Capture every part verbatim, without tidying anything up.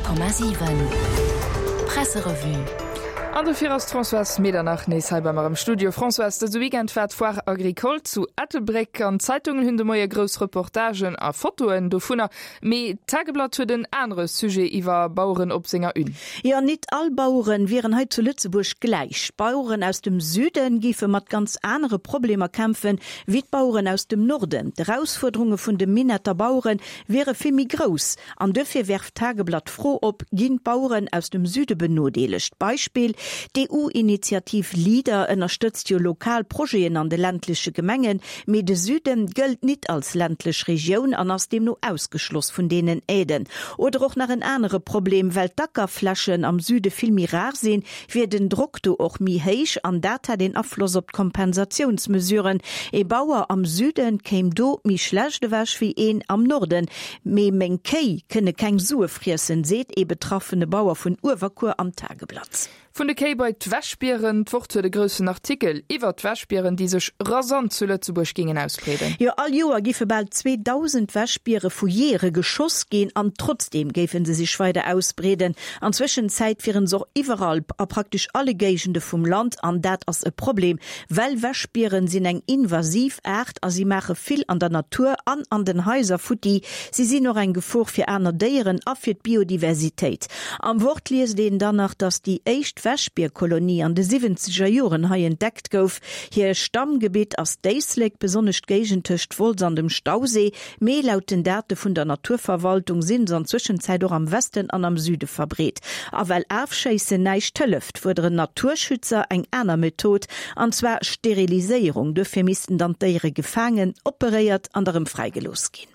Komma siwen Presserevue. An dofir ass d'Françoise Medernach nees hei bei mer am Studio. Françoise, dëse Weekend war d'Foire Agricole zu Ettelbréck an d'Zeitungen hunn de Moie grouss Reportagen a Fotoen dovunner. Mee d'Tageblatt huet en anere Sujet iwwer Baueren op senger Une. Jo, nit all Baueren wieren hei zu Lëtzebuerg gläich. D'Baueren aus dem Süden géife mat ganz anere Problemer kämpfen, wéi d'Baueren aus dem Norden. D'Erausfuerderunge vun de Minetter Bauere wiere vill méi grouss. An dofir werft d'Tageblatt d'Fro op, Ginn d'Baueren aus dem Süde benodeelegt? Beispill, D'EU-Initiativ Leader ënnerstëtzt jo lokal Projeten an de ländleche Gemengen, mee de Süden gëllt nit als ländlech Regioun an ass deemno ausgeschloss vun deenen Aiden. Oder och nach en anere Problem, Well d'Ackerflächen am Süde vill méi rar sinn, wier den Drock do och méi héich an dat hätt een Afloss op d'Kompensatiounsmesuren. Ee Bauer am Süden kéim do méi schlecht ewech wéi een am Norden. Mee meng Kéi kënne keng Sue friessen, seet ee betraffene Bauer vun Uewerkuer am Tageblatt. Vun de Kéi bei d'Wäschbieren, D'Wort huet e groussen Artikel iwwer d'Wäschbieren, déi sech rasant zu Lëtzebuerg géingen ausbreeden. Jo, all Joer géife bal zweedausend Wäschbiere vu Jeeëre geschoss ginn an trotzdeem géife se sech weider ausbreeden. An Zwëschenzäit wiere se och iwwerall a praktesch alle Géigende vum Land an dat ass e Problem, well Wäschbieren sinn eng invasiv Aart a si maache vill an der Natur an an den Haiser futti. Si sinn och eng Gefor fir aner Déieren a fir d'Biodiversitéit. Am Wort liest een dann nach, dass déi éischt Wäschbierkolonie an de siwwenzeger Joren hei entdeckt gouf. Hir Stammgebitt ass d'Éislek, besonnesch d'Géigend tëscht Wolz an dem Stausee, mee laut den Date vun der Naturverwaltung sinn se an Zwëschenzäit och am Westen an am Süde verbreet. A well Afschéissen näischt hëlleft, fuerderen Naturschützer eng aner Method, an zwar Steriliséierung. Dofir missten dann d'Déiere gefaangen, operéiert an da rëm fräigelooss ginn.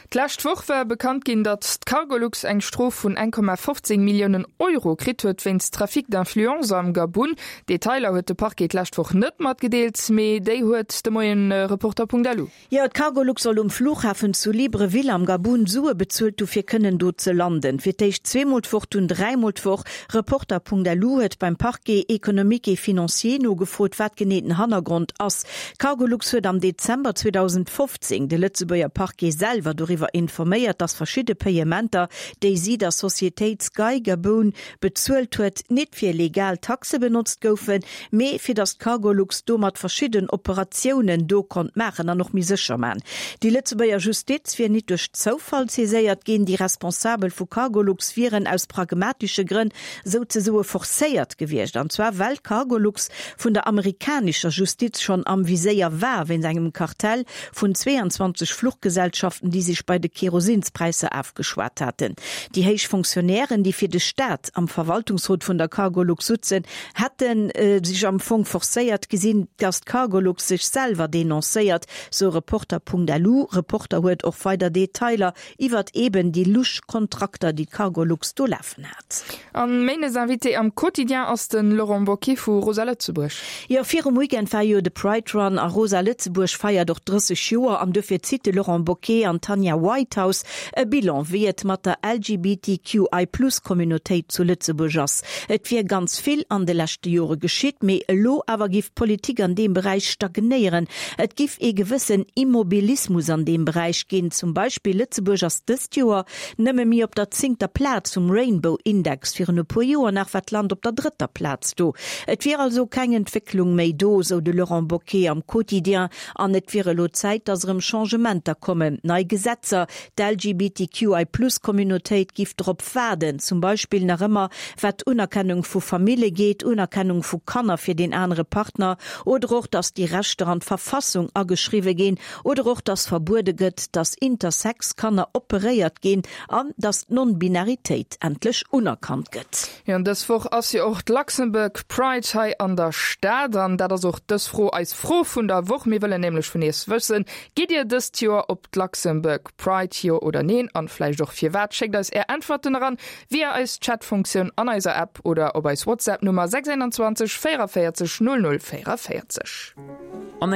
D'lescht Woch war bekannt ginn, datt d'Cargolux eng Strof vun eng Komma fofzéng Milliounen Euro kritt huet wéinst Trafic d'influence am Gabun. Detailer huet de Parquet d'lescht Woch net matgedeelt, mee déi huet de Moien Reporter.lu. Jo, d'Cargolux soll um Flughafen zu Libreville am Gabun Sue bezuelt hu fir kënnen do ze landen. Fir d'éischt zweemol d'Woch, dunn dräimol d'Woch. Reporter.lu huet beim Parquet économique et financier nogefrot, wat genee den Hannergrond ass. D'Cargolux huet am Dezember zweedausendfofzéng de Lëtzebuerger Parquet selwer doriwwer informéiert, dass verschidde Payementer, déi si der Societéit Sky Gaboon bezuelt huet, nit fir legal Taxe benotzt goufen, mee fir dass d'Cargolux domat verschidden Operatiounen do konnt maachen an och méi sécher man. Déi Lëtzebuerger Justiz wier nit duerch Zoufall saiséiert ginn, déi Responsabel vu Cargolux wieren aus pragmatesche Grënn souzesoe forcéiert gewiescht, an zwar well d'Cargolux vun der amerikanescher Justiz schonn am Viséier war wéinst engem Kartell vun zweeanzwanzeg Fluchgesellschaften, déi sech bei de Kerosinspräisser afgeschwat haten. Déi héich Fonctionnairen, déi fir de Staat am Verwaltungsrot vun der Cargolux sutzen, hätte sech am Fong forcéiert gesinn, dass d'Cargolux sech selwer denoncéiert, sou Reporter.lu. Reporter huet och weider Detailer iwwert eben déi lusch Kontrakter, déi d'Cargolux do lafen hat. An méindes Invité am Quotidien ass de Laurent Bocquet vu Rosa Lëtzebuerg. Jo, virum Weekend war jo de Pride Run a Rosa Lëtzebuerg feiert och drësseg Joer an dofir zitt de Laurent Bocquet an d'Tanja Whitehouse e Bilan, wéi et mat der L G B T Q I Plus Communautéit zu Lëtzebuerg ass. Et wier ganz vill an de leschte Jore geschitt, mee elo awer giff d'Politik an deem Beräich stagnéieren. Et giff ee gewëssen Immobilismus an deem Beräich ginn. Zum Beispill Lëtzebuerg ass dëst Joer nëmme méi op der zéngter Plaz um Rainbow Index, virun e puer Joer nach war d'Land op der drëtter Plaz do. Et wier also keng Entwécklung méi do, sou de Laurent Bocquet am Quotidien, an et wier elo Zäit, datt erëm Changementer kommen, nei Gesetzer. D'L G B T Q I Plus Communautéit giff drop waarden, zum Beispill nach ëmmer wat d'Unerkennung vu Famille geet, Unerkennung vu Kanner fir deen anere Partner oder och, datt déi Rechter an d'Verfassung ageschriwwe ginn oder och, datt verbuede gëtt, datt Intersex Kanner operéiert ginn an datt d'Non-Binaritéit endlech unerkannt gëtt. Jo, an dës Woch ass jo och d'Luxembourg Pride hei an der Stad an dat ass och dës Fro eis Fro vun der Woch. Mir wëllen nämlech vun iech wëssen, Gitt Dir dëst Joer op d'Luxembourg Pride, jo oder neen an vläicht och firwat? Schéckt eis är Äntwerten eran via eis Chatfunktioun an eiser App oder op eis WhatsApp Nummer sechs einundzwanzeg véierundvéierzeg null null véierundvéierzeg. An